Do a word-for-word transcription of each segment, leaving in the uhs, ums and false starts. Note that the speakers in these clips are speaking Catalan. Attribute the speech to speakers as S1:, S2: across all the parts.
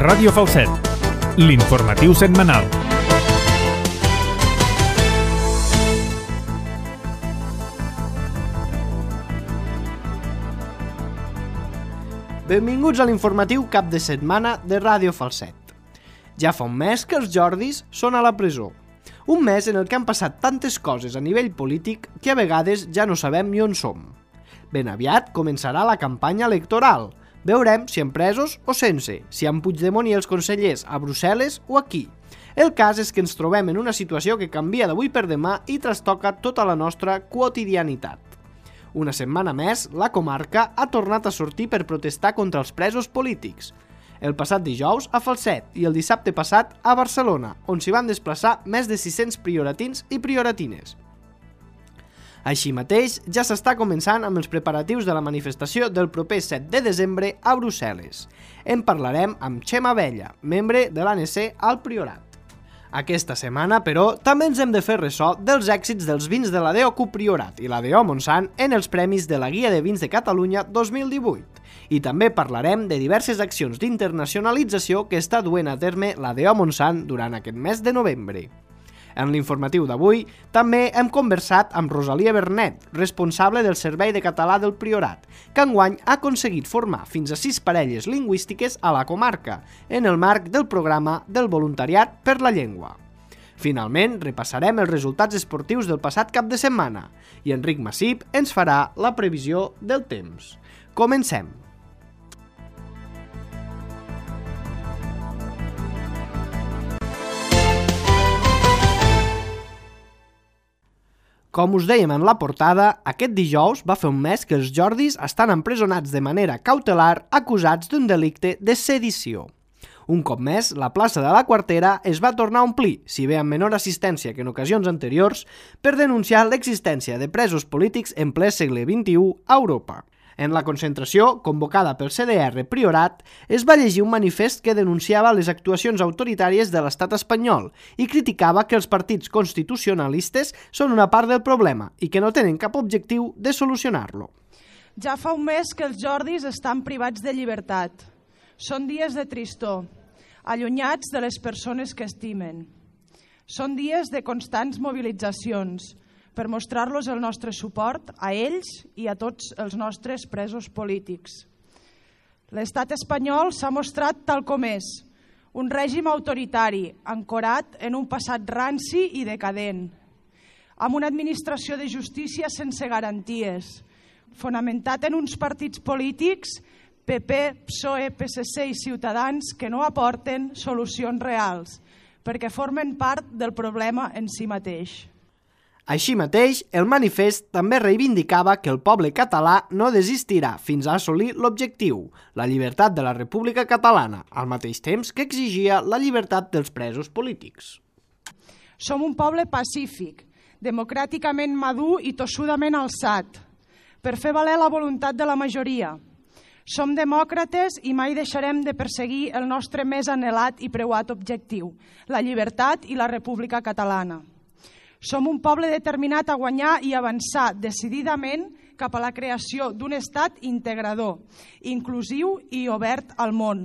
S1: Ràdio Falset, l'informatiu setmanal.
S2: Benvinguts a l'informatiu cap de setmana de Ràdio Falset. Ja fa un mes que els Jordis són a la presó. Un mes en el que han passat tantes coses a nivell polític que a vegades ja no sabem ni on som. Ben aviat començarà la campanya electoral. Veurem si en presos o sense, si en Puigdemont i els consellers a Brussel·les o aquí. El cas és que ens trobem en una situació que canvia d'avui per demà i trastoca tota la nostra quotidianitat. Una setmana més, la comarca ha tornat a sortir per protestar contra els presos polítics. El passat dijous a Falset i el dissabte passat a Barcelona, on s'hi van desplaçar més de sis-cents prioratins i prioratines. Així mateix, ja s'està començant amb els preparatius de la manifestació del proper set de desembre a Brussel·les. En parlarem amb Txema Abella, membre de l'A N C al Priorat. Aquesta setmana, però, també ens hem de fer ressò dels èxits dels vins de l'A D O C U Priorat i l'A D O Montsant en els premis de la Guia de Vins de Catalunya dos mil divuit. I també parlarem de diverses accions d'internacionalització que està duent a terme l'A D O Montsant durant aquest mes de novembre. En l'informatiu d'avui també hem conversat amb Rosalia Bernet, responsable del Servei de Català del Priorat, que enguany ha aconseguit formar fins a sis parelles lingüístiques a la comarca, en el marc del programa del voluntariat per la llengua. Finalment, repassarem els resultats esportius del passat cap de setmana i Enric Massip ens farà la previsió del temps. Comencem! Com us dèiem en la portada, aquest dijous va fer un mes que els Jordis estan empresonats de manera cautelar acusats d'un delicte de sedició. Un cop més, la plaça de la Quartera es va tornar a omplir, si bé amb menor assistència que en ocasions anteriors, per denunciar l'existència de presos polítics en ple segle vint-i-u a Europa. En la concentració, convocada pel C D R Priorat, es va llegir un manifest que denunciava les actuacions autoritàries de l'estat espanyol i criticava que els partits constitucionalistes són una part del problema i que no tenen cap objectiu de solucionar-lo.
S3: Ja fa un mes que els Jordis estan privats de llibertat. Són dies de tristor, allunyats de les persones que estimen. Són dies de constants mobilitzacions, per mostrar-los el nostre suport a ells i a tots els nostres presos polítics. L'estat espanyol s'ha mostrat tal com és, un règim autoritari, ancorat en un passat ranci i decadent, amb una administració de justícia sense garanties, fonamentat en uns partits polítics, P P, P S O E, P S C i Ciutadans, que no aporten solucions reals, perquè formen part del problema en si mateix.
S2: Així mateix, el manifest també reivindicava que el poble català no desistirà fins a assolir l'objectiu, la llibertat de la República Catalana, al mateix temps que exigia la llibertat dels presos polítics.
S3: Som un poble pacífic, democràticament madur i tossudament alçat, per fer valer la voluntat de la majoria. Som demòcrates i mai deixarem de perseguir el nostre més anhelat i preuat objectiu, la llibertat i la República Catalana. Som un poble determinat a guanyar i avançar decididament cap a la creació d'un estat integrador, inclusiu i obert al món.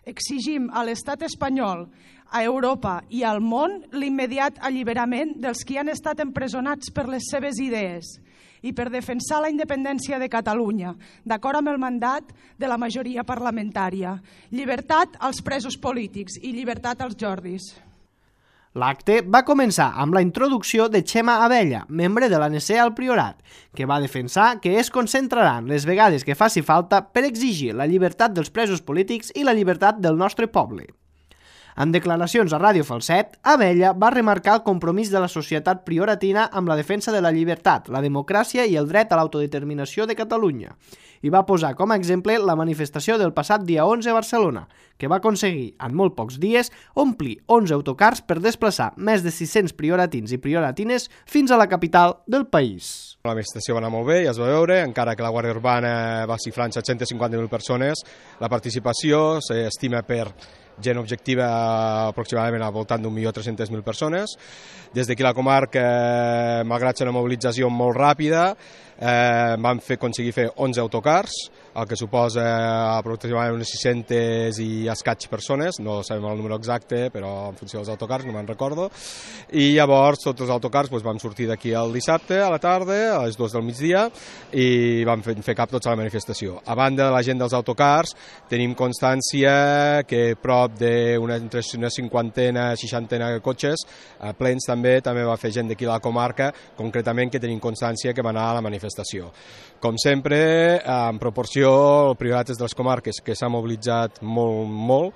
S3: Exigim a l'estat espanyol, a Europa i al món l'immediat alliberament dels qui han estat empresonats per les seves idees i per defensar la independència de Catalunya, d'acord amb el mandat de la majoria parlamentària. Llibertat als presos polítics i llibertat als Jordis.
S2: L'acte va començar amb la introducció de Txema Abella, membre de l'A N C al Priorat, que va defensar que es concentraran les vegades que faci falta per exigir la llibertat dels presos polítics i la llibertat del nostre poble. En declaracions a Ràdio Falset, Abella va remarcar el compromís de la societat prioratina amb la defensa de la llibertat, la democràcia i el dret a l'autodeterminació de Catalunya, i va posar com a exemple la manifestació del passat dia onze a Barcelona, que va aconseguir, en molt pocs dies, omplir onze autocars per desplaçar més de sis-cents prioratins i prioratines fins a la capital del país.
S4: La manifestació va anar molt bé, ja es va veure, encara que la Guàrdia Urbana va xifrar en set-cents cinquanta mil persones. La participació s'estima per gent objectiva aproximadament al voltant d'un milió tres-centes mil persones. Des d'aquí la comarca, malgrat ser una mobilització molt ràpida, eh, vam fer, aconseguir fer onze autocars, el que suposa aproximadament unes sis-centes i escaig persones, no sabem el número exacte, però en funció dels autocars, no me'n recordo. I llavors tots els autocars doncs, vam sortir d'aquí el dissabte a la tarda, a les dues del migdia, i vam fer, fer cap tots a la manifestació. A banda de la gent dels autocars, tenim constància que prop d'una entre una cinquantena, seixantena de cotxes, eh, plens també, també va fer gent d'aquí a la comarca, concretament que tenim constància que va anar a la manifestació. Com sempre, en proporció, el Priorat és de les comarques que s'ha mobilitzat molt, molt,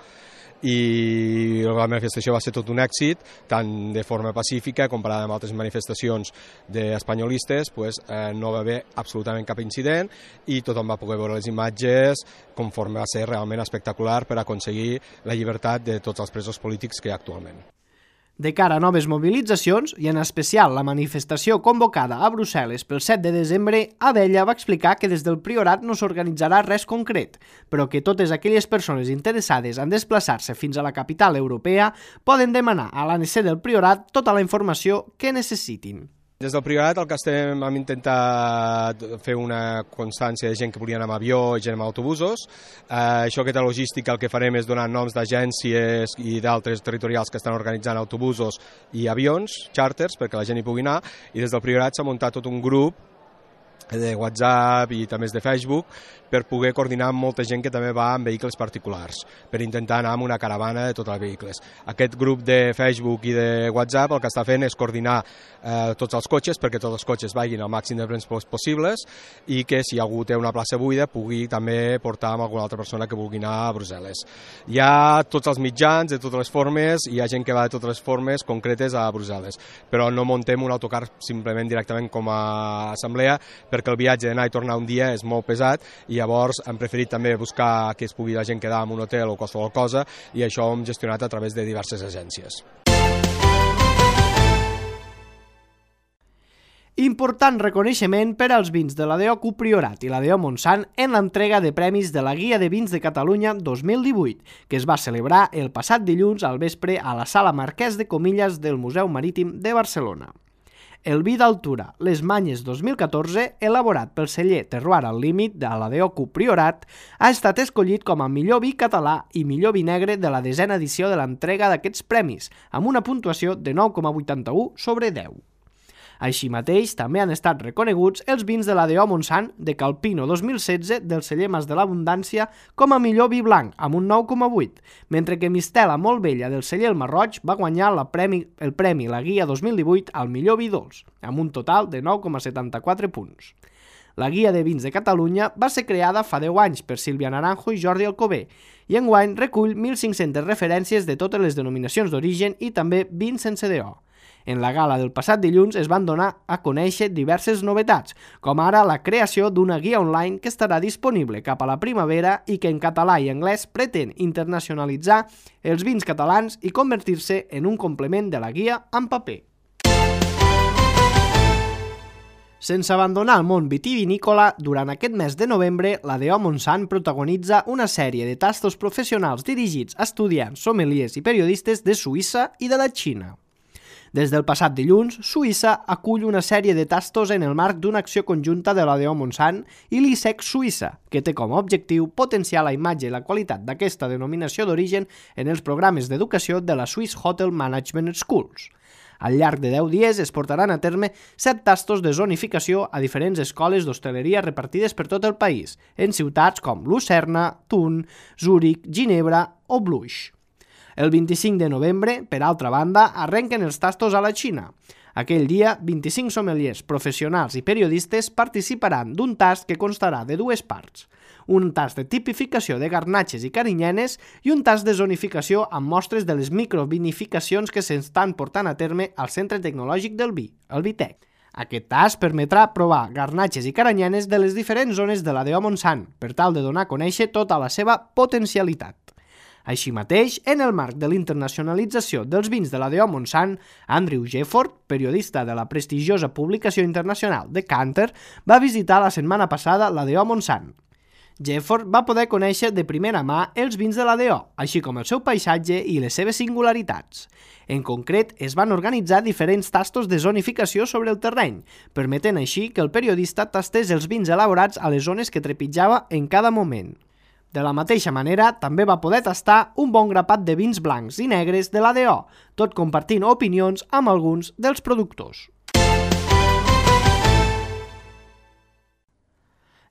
S4: i la manifestació va ser tot un èxit, tant de forma pacífica, comparada amb altres manifestacions d'espanyolistes, pues, eh, no va haver absolutament cap incident i tothom va poder veure les imatges conforme va ser realment espectacular per aconseguir la llibertat de tots els presos polítics que hi ha actualment.
S2: De cara a noves mobilitzacions, i en especial la manifestació convocada a Brussel·les pel set de desembre, Abella va explicar que des del Priorat no s'organitzarà res concret, però que totes aquelles persones interessades en desplaçar-se fins a la capital europea poden demanar a l'A N C del Priorat tota la informació que necessitin.
S4: Des del Priorat el que estem hem intentat fer una constància de gent que volia anar amb avió i gent amb autobusos. Eh, això, aquesta logística, el que farem és donar noms d'agències i d'altres territorials que estan organitzant autobusos i avions, xàrters, perquè la gent hi pugui anar, i des del Priorat s'ha muntat tot un grup de WhatsApp i també de Facebook per poder coordinar amb molta gent que també va en vehicles particulars, per intentar anar amb una caravana de tots els vehicles. Aquest grup de Facebook i de WhatsApp el que està fent és coordinar eh, tots els cotxes perquè tots els cotxes vagin al màxim de plens possibles i que si algú té una plaça buida pugui també portar amb alguna altra persona que vulgui anar a Brussel·les. Hi ha tots els mitjans de totes les formes, hi ha gent que va de totes les formes concretes a Brussel·les, però no muntem un autocar simplement directament com a assemblea perquè el viatge d'anar i tornar un dia és molt pesat i llavors hem preferit també buscar que es pugui la gent quedar en un hotel o qualsevol cosa i això ho hem gestionat a través de diverses agències.
S2: Important reconeixement per als vins de la D O C U Priorat i la D O Montsant en l'entrega de premis de la Guia de Vins de Catalunya dos mil divuit, que es va celebrar el passat dilluns al vespre a la Sala Marquès de Comillas del Museu Marítim de Barcelona. El vi d'altura Les Manyes dos mil catorze, elaborat pel celler Terroir al Límit de la D O C U Priorat, ha estat escollit com a millor vi català i millor vi negre de la desena edició de l'entrega d'aquests premis, amb una puntuació de nou coma vuitanta-u sobre deu. Així mateix, també han estat reconeguts els vins de la D O Montsant de Calpino dos mil setze del celler Mas de l'Abundància com a millor vi blanc, amb un nou coma vuit, mentre que Mistela Molt Vella del celler El Marroig va guanyar la premi, el premi La Guia dos mil divuit al millor vi dolç, amb un total de nou coma setanta-quatre punts. La Guia de Vins de Catalunya va ser creada fa deu anys per Sílvia Naranjo i Jordi Alcover i enguany recull mil cinc-centes referències de totes les denominacions d'origen i també vins sense D O. En la gala del passat dilluns es van donar a conèixer diverses novetats, com ara la creació d'una guia online que estarà disponible cap a la primavera i que en català i anglès pretén internacionalitzar els vins catalans i convertir-se en un complement de la guia en paper. Sense abandonar el món vitivinícola, durant aquest mes de novembre, la D O Montsant protagonitza una sèrie de tastos professionals dirigits a estudiants, sommeliers i periodistes de Suïssa i de la Xina. Des del passat dilluns, Suïssa acull una sèrie de tastos en el marc d'una acció conjunta de la D O Montsant i l'I S E C Suïssa, que té com a objectiu potenciar la imatge i la qualitat d'aquesta denominació d'origen en els programes d'educació de la Swiss Hotel Management Schools. Al llarg de deu dies es portaran a terme set tastos de zonificació a diferents escoles d'hostaleria repartides per tot el país, en ciutats com Lucerna, Thun, Zúrich, Ginebra o Bluix. El vint-i-cinc de novembre, per altra banda, arrenquen els tastos a la Xina. Aquell dia, vint-i-cinc sommeliers professionals i periodistes participaran d'un tast que constarà de dues parts. Un tast de tipificació de garnatxes i carinyenes i un tast de zonificació amb mostres de les microvinificacions que s'estan portant a terme al Centre Tecnològic del Vi, el Vitec. Aquest tast permetrà provar garnatxes i caranyenes de les diferents zones de la D O Montsant, per tal de donar a conèixer tota la seva potencialitat. Així mateix, en el marc de l'internacionalització dels vins de la D O Montsant, Andrew Jefford, periodista de la prestigiosa publicació internacional Decanter, va visitar la setmana passada la D O Montsant. Jefford va poder conèixer de primera mà els vins de la D O, així com el seu paisatge i les seves singularitats. En concret, es van organitzar diferents tastos de zonificació sobre el terreny, permetent així que el periodista tastés els vins elaborats a les zones que trepitjava en cada moment. De la mateixa manera, també va poder tastar un bon grapat de vins blancs i negres de la D O, tot compartint opinions amb alguns dels productors.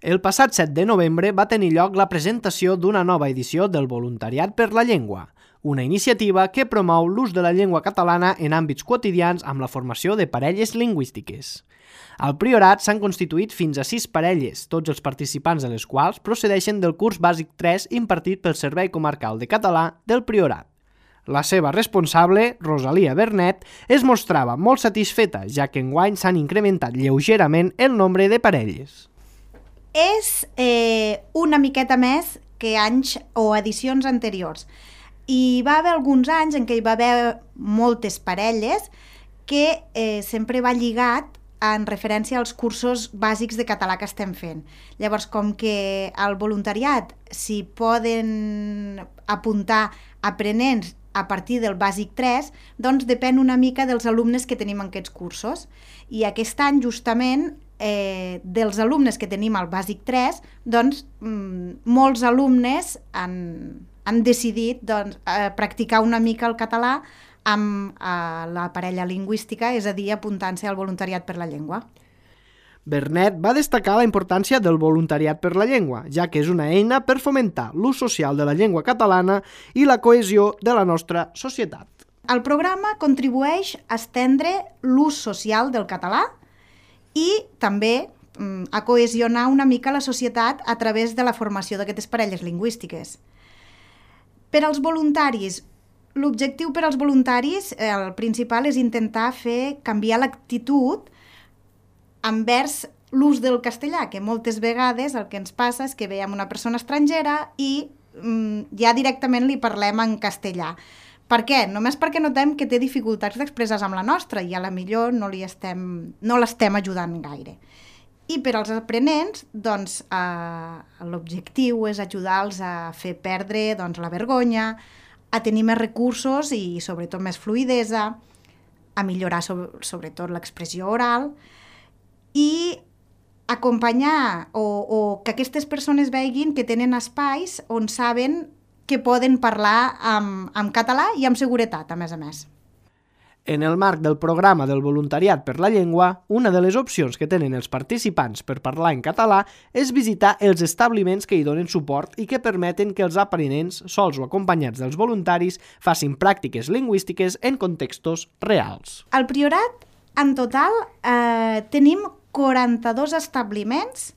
S2: El passat set de novembre va tenir lloc la presentació d'una nova edició del Voluntariat per la Llengua, una iniciativa que promou l'ús de la llengua catalana en àmbits quotidians amb la formació de parelles lingüístiques. Al Priorat s'han constituït fins a sis parelles, tots els participants de les quals procedeixen del curs bàsic tres impartit pel Servei Comarcal de Català del Priorat. La seva responsable, Rosalia Bernet, es mostrava molt satisfeta, ja que enguany s'han incrementat lleugerament el nombre de parelles.
S5: És eh, una miqueta més que anys o edicions anteriors. Hi va haver alguns anys en què hi va haver moltes parelles que eh, sempre va lligat en referència als cursos bàsics de català que estem fent. Llavors, com que al voluntariat s'hi poden apuntar aprenents a partir del bàsic tres, doncs depèn una mica dels alumnes que tenim en aquests cursos. I aquest any, justament, Eh, dels alumnes que tenim al bàsic tres, doncs mm, molts alumnes han, han decidit doncs, eh, practicar una mica el català amb eh, la parella lingüística, és a dir, apuntant-se al voluntariat per la llengua.
S2: Bernet va destacar la importància del voluntariat per la llengua, ja que és una eina per fomentar l'ús social de la llengua catalana i la cohesió de la nostra societat.
S5: El programa contribueix a estendre l'ús social del català i també mm, a cohesionar una mica la societat a través de la formació d'aquestes parelles lingüístiques. Per als voluntaris, l'objectiu per als voluntaris, eh, el principal és intentar fer canviar l'actitud envers l'ús del castellà, que moltes vegades el que ens passa és que veiem una persona estrangera i mm, ja directament li parlem en castellà. Per què? Només perquè notem que té dificultats d'expressar amb la nostra i a la millor no, li estem, no l'estem ajudant gaire. I per als aprenents, doncs, eh, l'objectiu és ajudar-los a fer perdre doncs, la vergonya, a tenir més recursos i sobretot més fluïdesa, a millorar sobre, sobretot l'expressió oral i acompanyar o, o que aquestes persones veguin que tenen espais on saben que poden parlar en, en català i amb seguretat, a més a més.
S2: En el marc del programa del voluntariat per la llengua, una de les opcions que tenen els participants per parlar en català és visitar els establiments que hi donen suport i que permeten que els aprenents, sols o acompanyats dels voluntaris, facin pràctiques lingüístiques en contextos reals.
S5: Al Priorat, en total, eh, tenim quaranta-dos establiments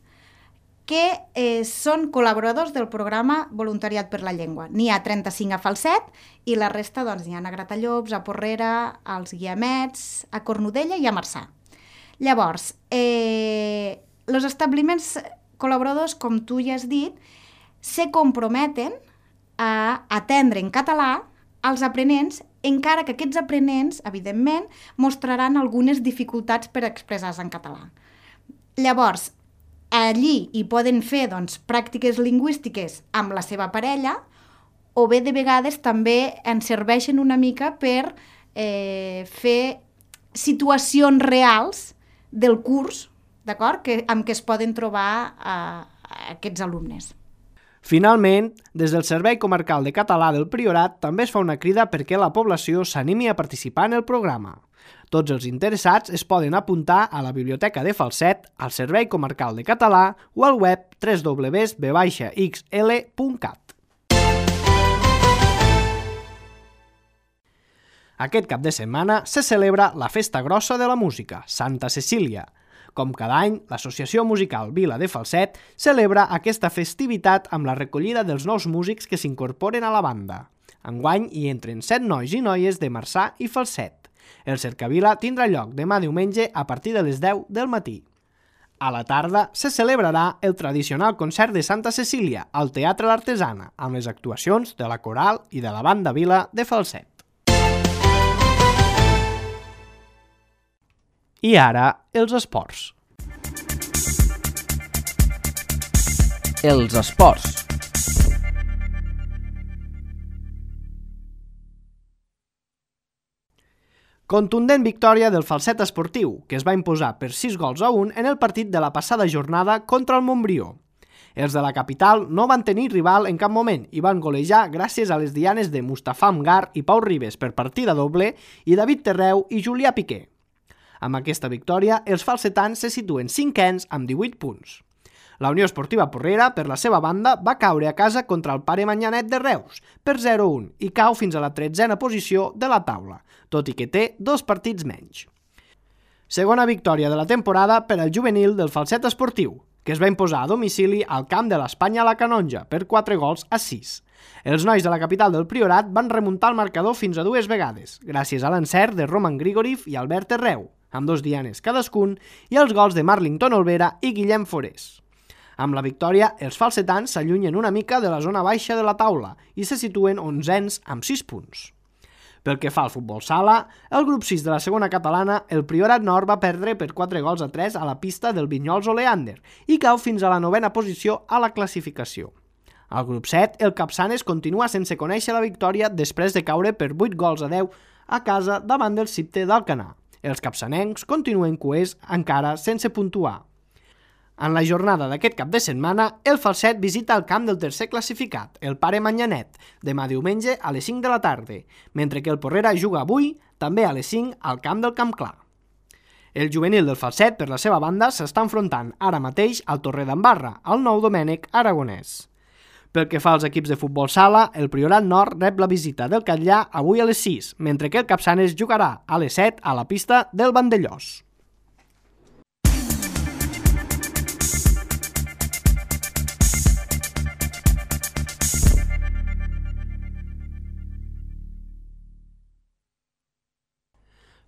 S5: que eh, són col·laboradors del programa Voluntariat per la Llengua. N'hi ha trenta-cinc a Falset i la resta doncs, n'hi ha a Gratallops, a Porrera, als Guiamets, a Cornudella i a Marçà. Llavors, eh, els establiments col·laboradors, com tu ja has dit, se comprometen a atendre en català als aprenents, encara que aquests aprenents, evidentment, mostraran algunes dificultats per expressar-se en català. Llavors, allí hi poden fer doncs, pràctiques lingüístiques amb la seva parella o bé de vegades també ens serveixen una mica per eh, fer situacions reals del curs, d'acord, que, amb què es poden trobar eh, aquests alumnes.
S2: Finalment, des del Servei Comarcal de Català del Priorat també es fa una crida perquè la població s'animi a participar en el programa. Tots els interessats es poden apuntar a la Biblioteca de Falset, al Servei Comarcal de Català o al web w w w punt b x l punt cat. Aquest cap de setmana se celebra la Festa Grossa de la Música, Santa Cecília. Com cada any, l'Associació Musical Vila de Falset celebra aquesta festivitat amb la recollida dels nous músics que s'incorporen a la banda. Enguany hi entren set nois i noies de Marçà i Falset. El Cercavila tindrà lloc demà diumenge a partir de les deu del matí. A la tarda se celebrarà el tradicional concert de Santa Cecília al Teatre l'Artesana, amb les actuacions de la Coral i de la Banda Vila de Falset. I ara, els esports.
S6: Els esports.
S2: Contundent victòria del Falset Esportiu, que es va imposar per sis gols a un en el partit de la passada jornada contra el Montbrió. Els de la capital no van tenir rival en cap moment i van golejar gràcies a les dianes de Mustafa Amgar i Pau Ribes per partida doble i David Terreu i Julià Piqué. Amb aquesta victòria, els falsetans se situen cinquens amb divuit punts. La Unió Esportiva Porrera, per la seva banda, va caure a casa contra el Pare Manyanet de Reus per zero a un i cau fins a la tretzena posició de la taula, tot i que té dos partits menys. Segona victòria de la temporada per al juvenil del Falset Esportiu, que es va imposar a domicili al camp de l'Espanya a la Canonja per quatre gols a sis. Els nois de la capital del Priorat van remuntar el marcador fins a dues vegades, gràcies a l'encert de Roman Grigoriv i Albert Terreu, amb dos dianes cadascun, i els gols de Marlington Olvera i Guillem Forés. Amb la victòria, els falsetans s'allunyen una mica de la zona baixa de la taula i se situen onzens amb sis punts. Pel que fa al futbol sala, el grup sis de la segona catalana, el Priorat Nord va perdre per quatre gols a tres a la pista del Vinyols Oleander i cau fins a la novena posició a la classificació. Al grup set, el Capçanes continua sense conèixer la victòria després de caure per vuit gols a deu a casa davant del Cipte d'Alcanar. Els capçanencs continuen coers encara sense puntuar. En la jornada d'aquest cap de setmana, el Falset visita el camp del tercer classificat, el Pare Manyanet, demà diumenge a les cinc de la tarda, mentre que el Porrera juga avui, també a les cinc, al camp del Camp Clar. El juvenil del Falset, per la seva banda, s'està enfrontant ara mateix al Torredembarra, al Nou Domènec Aragonès. Pel que fa als equips de futbol sala, el Priorat Nord rep la visita del Catllà avui a les sis, mentre que el Capçanes jugarà a les set a la pista del Vandellós.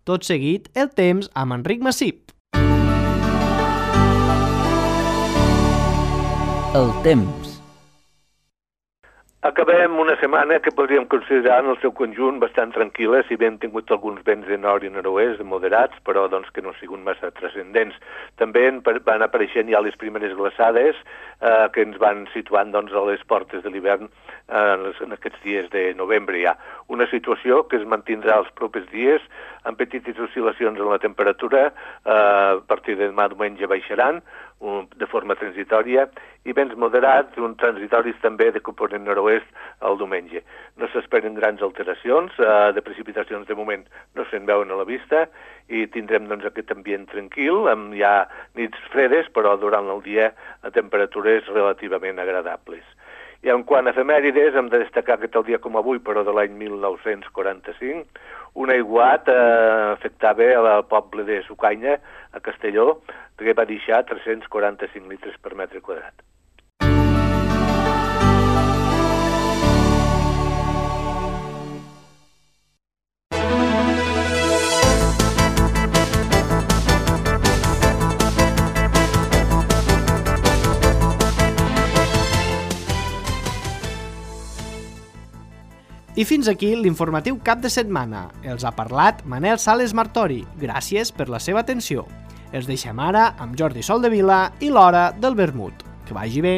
S2: Tot seguit, el temps amb Enric Massip.
S6: El temps.
S7: Acabem una setmana que podríem considerar en el seu conjunt bastant tranquil·la, si bé hem tingut alguns vents de nord i nord-oest moderats, però doncs, que no han sigut massa transcendents. També van apareixent ja les primeres glaçades eh, que ens van situant doncs, a les portes de l'hivern eh, en aquests dies de novembre ja. Una situació que es mantindrà els propers dies amb petites oscil·lacions en la temperatura, eh, a partir de demà diumenge baixaran, de forma transitòria, i vents moderats, un transitoris també de component nord-oest el diumenge. No s'esperen grans alteracions, eh, de precipitacions de moment no se'n veuen a la vista, i tindrem doncs, aquest ambient tranquil, amb ja nits fredes, però durant el dia a temperatures relativament agradables. I en quant a efemèrides, hem de destacar que tal dia com avui, però de l'any mil nou-cents quaranta-cinc, un aiguat eh, afectava al poble de Sucaina, a Castelló, que va deixar tres-cents quaranta-cinc litres per metre quadrat.
S2: I fins aquí l'informatiu cap de setmana. Els ha parlat Manel Sales Martori. Gràcies per la seva atenció. Els deixem ara amb Jordi Soldevila i l'Hora del Vermut. Que vagi bé.